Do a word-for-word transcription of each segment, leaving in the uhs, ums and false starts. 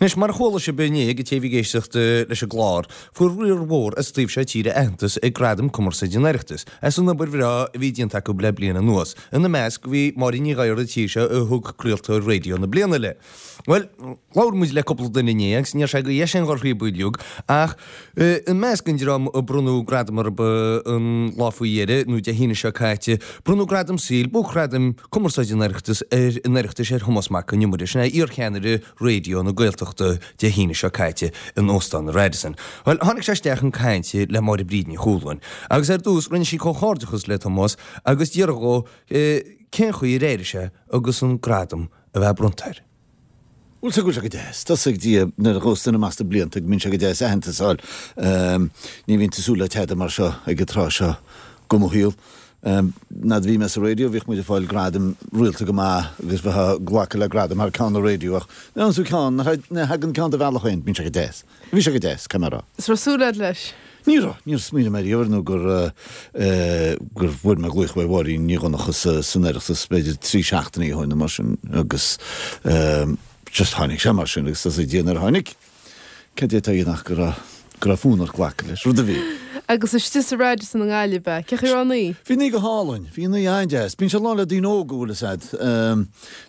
Anois, mar a chuala sibh inné, ag an té a bhí ag éisteacht leis an gclár, fuair riar mhór as an taobh seo tíre aitheantas ag Gradaim Cumarsáide an Oireachtais as an obair bhreá a bhí déanta acu le bliain anuas. Ina measc bhí Máirín Ní Ghadhra an tír seo a thug Craoltóir Raidió na Bliana léi. Bhuel, labhair muid le cúpla duine inné agus ní raibh sé de dheis againn dhul thríob uilig ach i measc an dream a bronnadh gradam orthu an lá faoi dheireadh, nó Dé hAoine seo caite, bronnadh gradam saoil, Buaicghradam Cumarsáide an Oireachtais ar an Oireachtais ar Thomás Mac Con Iomaire, sin é iarcheannaire Raidió na Gaeltachta Dé hAoine seo caite in Óstán an Radisson. Bhuel, tháinig sé isteach chun cainte le Máire Bríd Ní Chualáin agus ar dtús rinne sí comhghairdeachas le Tomás agus d'fhiafraigh dhó cén chaoi ar airigh sé agus an gradam a bheith bronnta air. Bhuel, tá go bhfuil sé go deas. Tá a fhios ag Dia nuair a ghabhas duine amach sna blianta go mbíonn sé go deas aitheantas a fháil. Ní bhíonn tú ag súil le tada mar seo ag an tráth seo de mo shaol. Nuair a bhí mé sa raidió bhíodh muid ag fáil gradaim rialta go maith agus bheifeá ag glacadh le gradam thar ceann an raidió ach nuair a fhaigheann tú ceann, nuair a thagann ceann do bhealach féin, bíonn sé go deas. Bhí sé go deas, caithfidh mé a rá. Is raibh súil agat leis? Ní raibh. Níor smaoinigh mé riamh air nó gur gur bhfuair mé glaoch uaidh Mháirín Ní Dhonncha san Oireachtas b'fhéidir trí seachtainí ó shin nó mar sin agus just tháinig sé mar sin agus tá a fhios ag Dia nuair a tháinig, cad é atá a dhéanamh ach go raibh go raibh fonn ort glacadh leis, rud a bhí. Agus istigh sa Radisson i nGaillimh, cén chaoi a raibh an oíche? Bhí an oíche go hálainn. Bhí an oíche an-deas. Bíonn sé lán le daoine óga, bhfuil fhios a'd.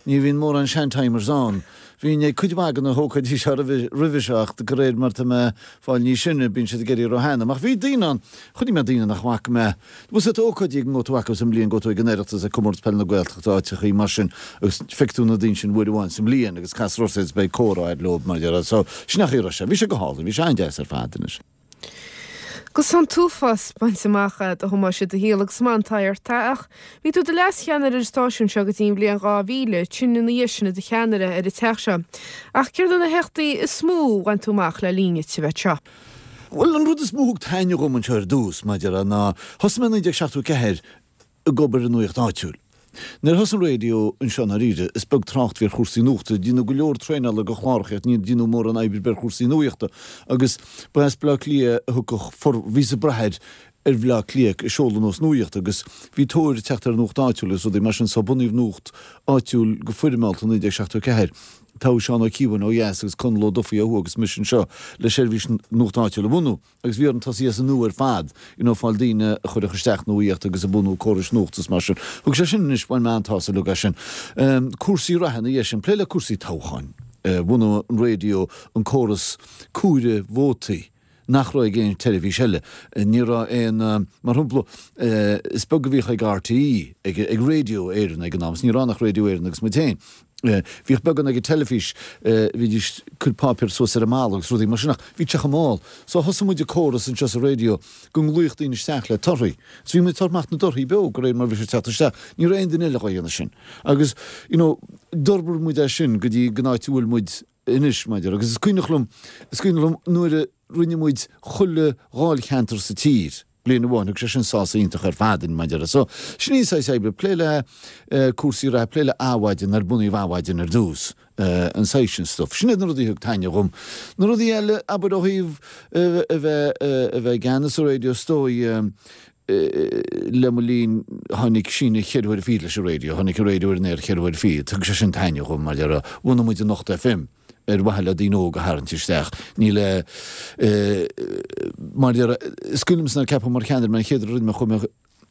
Ní bhíonn mórán sean-timers ann. Bhínn ag cuid mhaith de na hócáidí seo roimhe seo ach de réir mar tá mé ag fáil níos sine bíonn siad ag éirí róshean. Ach bhí daoine ann, chonaic mé daoine nach bhfaca mé. Bhfuil fhios a't ócáidí go ngabhfaidh tú acu sa mbliain, gabhfaidh tú ag an Oireachtas, ag Comórtas Peile na Gaeltachta, áiteachaí mar sin agus feicfidh tú na daoine sin uair amháin sa mbliain agus casfar ort iad is beidh comhrá a'd leo mar dhea. So, sin an chaoi a raibh sé. Bhí sé go hálainn, bhí sé an-deas ar fad anois. Agus tá an t-uafás bainte amach agat a Thomáis i do shaol agus maith an t-ádh ort é ach bhí tú i do leascheannaire ar an stáisiún seo go dtí an bhliain dhá mhíle, ansin ina dhiaidh sin i do cheannaire ar an teach seo. Ach céard iad na héachtaí is mó a bhain tú amach le linn duit a bheith anseo? Bhuel, an rud is mó a thug taitneamh dhom anseo ar dtús, maidir le, ná thosaigh mé i naoi déag seachtó a ceathair ag obair i nuaíocht áitiúil. Nuair a thosaigh an raidió anseo i ndáiríre, is beag trácht a bhí ar chúrsaí nuachta. Deineadh go leor traenála do chláracha ach níor deineadh mórán oibre ar bith ar chúrsaí nuachta. Agus ba as Baile Átha Cliath a thiocfadh for, bhíothas ag brath ar ar Bhaile Átha Cliath ag seoladh anuas nuachta agus bhí tóir ag teacht ar an nuacht áitiúil agus rudaí mar sin so bunaíodh nuacht áitiúil go foirmeálta i naoi déag seachtó a ceathair. Toghadh Seán Ó Cíobháin ó dheas agus Conall Ó Dufaigh ó thuaidh agus mise anseo le seirbhís nuacht áitiúil a bhunú. Agus bhí orainn tosaí as an nua ar fad, you know, fáil daoine a chuirfeadh isteach nuaíocht agus ag bunú córais nuachta is mar sin. Thug sé sin anois, bhain mé an-tsásamh uilig as sin. Cúrsaí reatha ina dhiaidh sin, plé le cúrsaí toghcháin. Bhunaigh an raidió an córas comhaireamh vótaí nach raibh ag aon tseirbhís eile. Ní raibh aon, mar shampla, is beag a bhíodh ag RTÉ, ag ag Radio Éireann ag an am, is ní raibh ann ach Radio Éireann agus muid féin. Bhíodh beagán ag an teilifís, bhídís ag cur páipéar suas ar an mballa agus rudaí mar sin ach bhí sé chomh mall. So thosaigh muid ag córas anseo sa raidió go nglaofadh daoine isteach le torthaí. So bhí muid ag tabhairt amach na dtorthaí beo de réir mar bhí sé ag teacht isteach. Ní raibh aon duine eile dhá dhéanamh sin. Agus, you know, d'fhorbair muid é sin go dtí an áit a bhfuil muid anois, maidir. Agus is cuimhneach liom, is cuimhneach liom nuair a rinne muid chuile dháilcheantar sa tír. bliain amháin, thug sé sin sásamh iontach ar fad dúinn, maidir le. So, sin í an saghas oibre, plé le cúrsaí reatha, plé le Adhmhaidin, nuair a bunaíodh Adhmhaidin ar dtús, an saghas sin stuff. Sin iad na rudaí a thug taitneamh dhom. Na rudaí eile, abair ó thaobh a bheith a bheith i gceannas ar raidió, is dóigh, le mo linn tháinig síneadh cheithre huaire fichead leis an raidió, tháinig an raidió ar an aer cheithre huaire fichead, thug sé sin taitneamh dhom, mar a bhunaigh muid an Anocht FM. ar mhaithe le daoine óga a tharraingt isteach. Ní le, mar is cuimhin liomsa nuair a ceapadh mar cheannaire mé an chéad rud a rinne mé chuaigh mé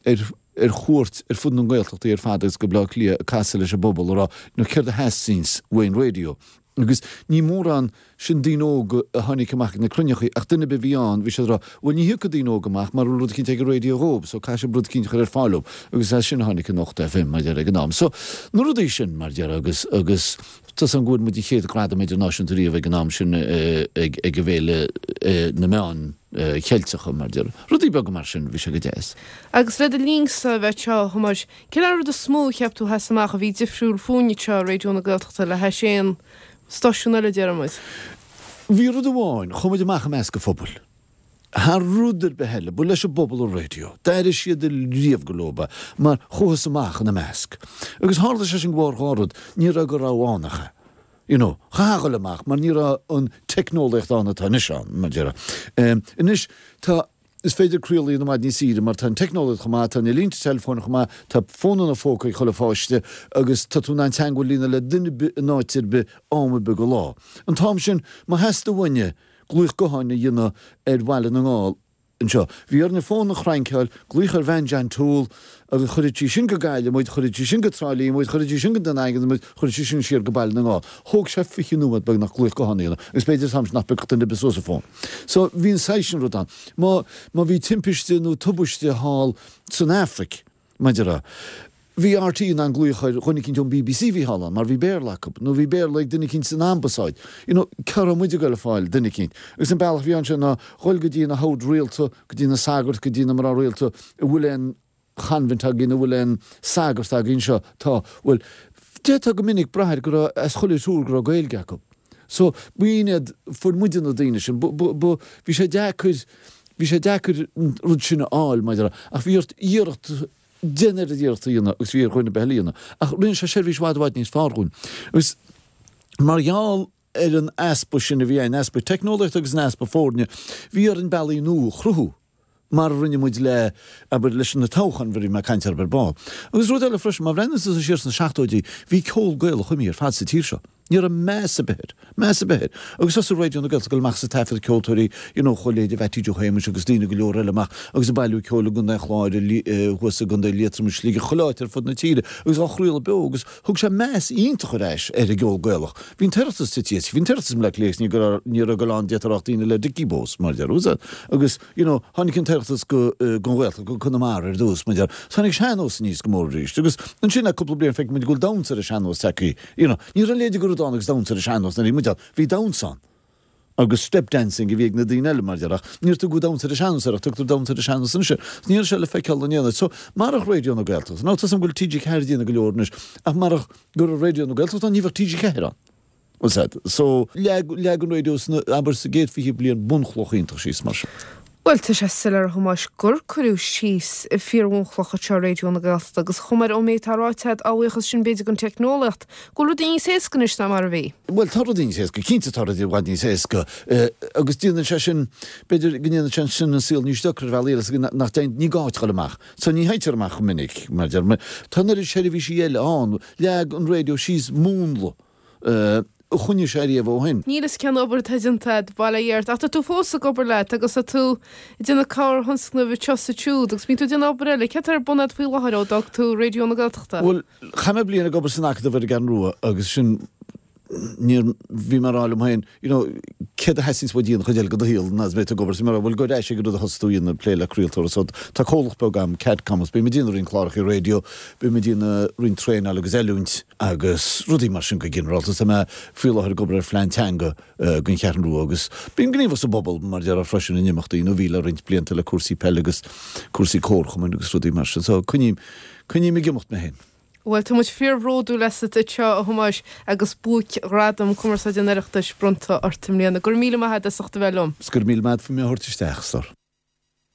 ar ar chuairt ar fud na nGaeltachtaí ar fad agus go Baile Átha Cliath ag casadh leis an bpobal ag rá you know céard a theastaíonns uaidh an raidió. Agus ní mórán sin daoine óga a tháinig amach ag na cruinneachaí ach duine ar bith a bhí ann bhí siad ag rá bhuel ní thiocfaidh daoine óga amach mara bhfuil rud eicínt ag an raidió dhóibh so caithfidh sibh rud eicínt a chur ar fáil dhóibh agus as sin a tháinig Anocht FM mar a déarfá ag an am. So na rudaí sin mar a déarfá agus agus Tá 's agam go bhfuair muid an chéad ghradam idirnáisiúnta riamh ag an am sin ag an bhFéile na Meán Cheilteacha, mar a déarfá. Rudaí beaga mar sin, bhí sé go deas. Agus le do linnsa a bheith anseo, a Thomáis, cén rud is mó a cheap tú a sheas amach a bhí difriúil fúinne anseo i Raidió na Gaeltachta le hais aon stáisiún eile, déarfaidh muid? Bhí rud amháin, chuaigh muid amach i measc an phobail. Thar rud ar bith eile, ba leis an bpobal an raidió. D'airigh siad riamh gur leo é, mar chuathas amach ina measc. Agus tharla sé sin de bharr dhá rud, ní raibh de rogha ann ach é. You know, chaithfeá a dhul amach mar ní raibh an teicneolaíocht ann atá anois ann, mar a déarfá. Anois, tá. Is féidir craoladh a dhéanamh i bhfad níos saoire mar tá an teicneolaíocht chomh maith, tá na línte teileafóin chomh maith, tá fónanna phóca ag chuile pháiste agus tá tú in ann teagmháil a dhéanamh le duine ar bith in áit ar bith am ar bith de lá. An t-am sin, má theastaigh uainne glaoch gutháin a dhéanamh ar Bhaile na nGall anseo, bhí orainne fón a chrainceáil, glaoch ar bhean John Toole agus chuireadh sí sin go Gaillimh muid, chuireadh sí sin go Trá Lí muid, chuireadh sí sin go Dún Daingean muid, chuireadh sí sin siar go Baile na nGall. Thóg sé fiche nóiméad beagnach glaoch gutháin a dhéanamh agus b'fhéidir an t-am sin nach bpiocfadh duine ar bith suas an fón. So bhí an saghas sin rud ann. Má, má bhí timpiste nó tubaiste thall san Afraic, mar a déarfá, bhí RTÉ in ann glaoch ar dhuine eicínt ón BBC a bhí thall ann mar bhí Béarla acu, nó bhí Béarla ag duine eicínt san ambasáid. You know, cá raibh muid ag goil ag fáil duine eicínt? Agus an bealach a bhí ann sin ná dhul go dtí na hoird rialta, go dtí na sagairt, go dtí na mná rialta, an bhfuil aon choinbhint againn, an bhfuil aon sagart againn anseo? Tá. Bhuel, d'fhéadfá go minic brath air go raibh, as chuile thriúr go raibh Gaeilge acu. So, b'in iad, fuair muide na daoine sin. B, b, b, bhí sé deacair, bhí sé deacair an rud sin a fháil, mar a déarfá, ach bhí ort iarracht, déan oiread iarracht a dhéanamh agus bhí ar dhuine ar bith eile a dhéanamh. Ach rinne sé seirbhís i bhfad i bhfad níos fearr dhúinn. Agus mar gheall ar an easpa sin a bhí ann, easpa teicneolaíochta agus an easpa foirne, bhí orainn bealaí nua a chruthú. mar a rinne muid le, abair, leis na toghcháin, a bhí mé ag caint orthu ar ball. Agus rud eile freisin, má bhreathnaíonn tusa siar sna seachtóidí, bhí ceol Gaelach imithe ar fad sa tír seo. Ní raibh meas ar bith air. Meas ar bith air. Agus thosaigh Raidió na Gaeltachta ag dul amach is ag taifeadadh ceoltóirí, you know, chuile leithéid de Mhattie Joe Shéamuis agus daoine go leor eile amach agus ag bailiú ceoil i gContae an Chláir, thuas i gContae Liatroma, Sligeach, chuile áit ar fud na tíre agus á chraoladh beo agus thug sé meas iontach ar ais ar an gceol Gaelach. Bhí an tOireachtas tite, bhí an tOireachtas i mBleá Cliath agus ní raibh, ní raibh ag dul ann d'fhéadfá a rá ach daoine le Dickie Bows, mar a déarfá. Agus, you know, tháinig an tOireachtas go, gon Ghaeltacht, go Conamara ar dtús, mar a déarfá. Tháinig sean-nós aníos go mór arís. Agus ansin le cúpla bliain feiceann muid go bhfuil damhsa ar an sean-nós tagtha, you know. Ní raibh a leithéid de rud ann agus damhsa ar an sean-nós nuair a bhí muid ann. Bhí damhsa ann. Agus step dancing a bhí ag na daoine eile, mar a déarfá. Ach níor tugadh damhsa ar an sean-nós air ach tugtar damhsa ar an sean-nós anois air. So ní raibh sé le feiceáil in aon áit. So, marach Raidió na Gaeltachta, now tá 's agam go bhfuil TG Ceathair ag déanamh go leor anois, ach marach go raibh Raidió na Gaeltachta ann ní bheadh TG Ceathair ann. Bhfuil 's a'd. So, leag, leag an raidió sna, abair, sa gcéad fiche bliain bunchloch iontach síos mar sin. Bhuel, tá sé soiléir a Thomáis gur cuireadh síos fíor-bhunchloch anseo i Raidió na Gaeltachta agus chomh maith ón méid atá ráite agat, á bhuíochas sin b'fhéidir don teicneolaíocht, go bhfuil rudaí níos éasca anois ná mar a bhí. Bhuel, tá rudaí níos éasca, cinnte tá rudaí i bhfad níos éasca agus déanann sé sin, b'fhéidir go ndéanann sé sin an saol níos deacra ar bhealaí eile, is nach dtéann, ní gá duit a dhul amach. So ní théitear amach chomh minic, mar a deir mé. Tá an oiread seirbhísí eile ann, leag an raidió síos múnla. a choinnigh sé ariamh ó shin. Níl fhios cén obair atá déanta agat, bail ó Dhia ort, ach tá tú fós ag obair leat agus tá tú ag déanamh corrthionscnamh anseo is ansiúd agus bíonn tú ag déanamh obair eile. Céard atá ar bun agat faoi láthair ó d'fhág tú Raidió na Gaeltachta? Bhuel, chaith mé bliain ag obair san Acadamh ar an gCeathrú Rua agus sin, níor, bhí mé ag rá liom féin, you know, céard a theastaíonns uait a dhéanamh an chuid eile de do shaol ná is beidh tú ag obair, so bhí mé ag rá, bhuel, gabh ar ais ag an rud a thosaigh tú a dhéanamh, plé le craoltóireacht. So tá comhlacht beag agam, Cadcom, agus bím ag déanamh roinnt cláracha raidió, bím ag déanamh roinnt traenáil agus oiliúint, agus rudaí mar sin go ginearálta. Tá mé faoi láthair ag obair ar phlean teanga don Cheathrú Rua agus bím gníomhach sa bpobal mar a déarfá freisin in imeachtaí nó bhí le roinnt blianta le cúrsaí peile agus cúrsaí comharchumainn agus rudaí mar sin. So coinním, coinním ag imeacht mé féin. Bhuel, tá muid fíorbhródúil asat anseo, a Thomáis, agus buaic-ghradam Cumarsáide an Oireachtais bronnta ort i mbliana. Go raibh míle maith agat as ucht a bheith liom. 'S go raibh míle maith agat faoi mé a thabhairt isteach, a stór.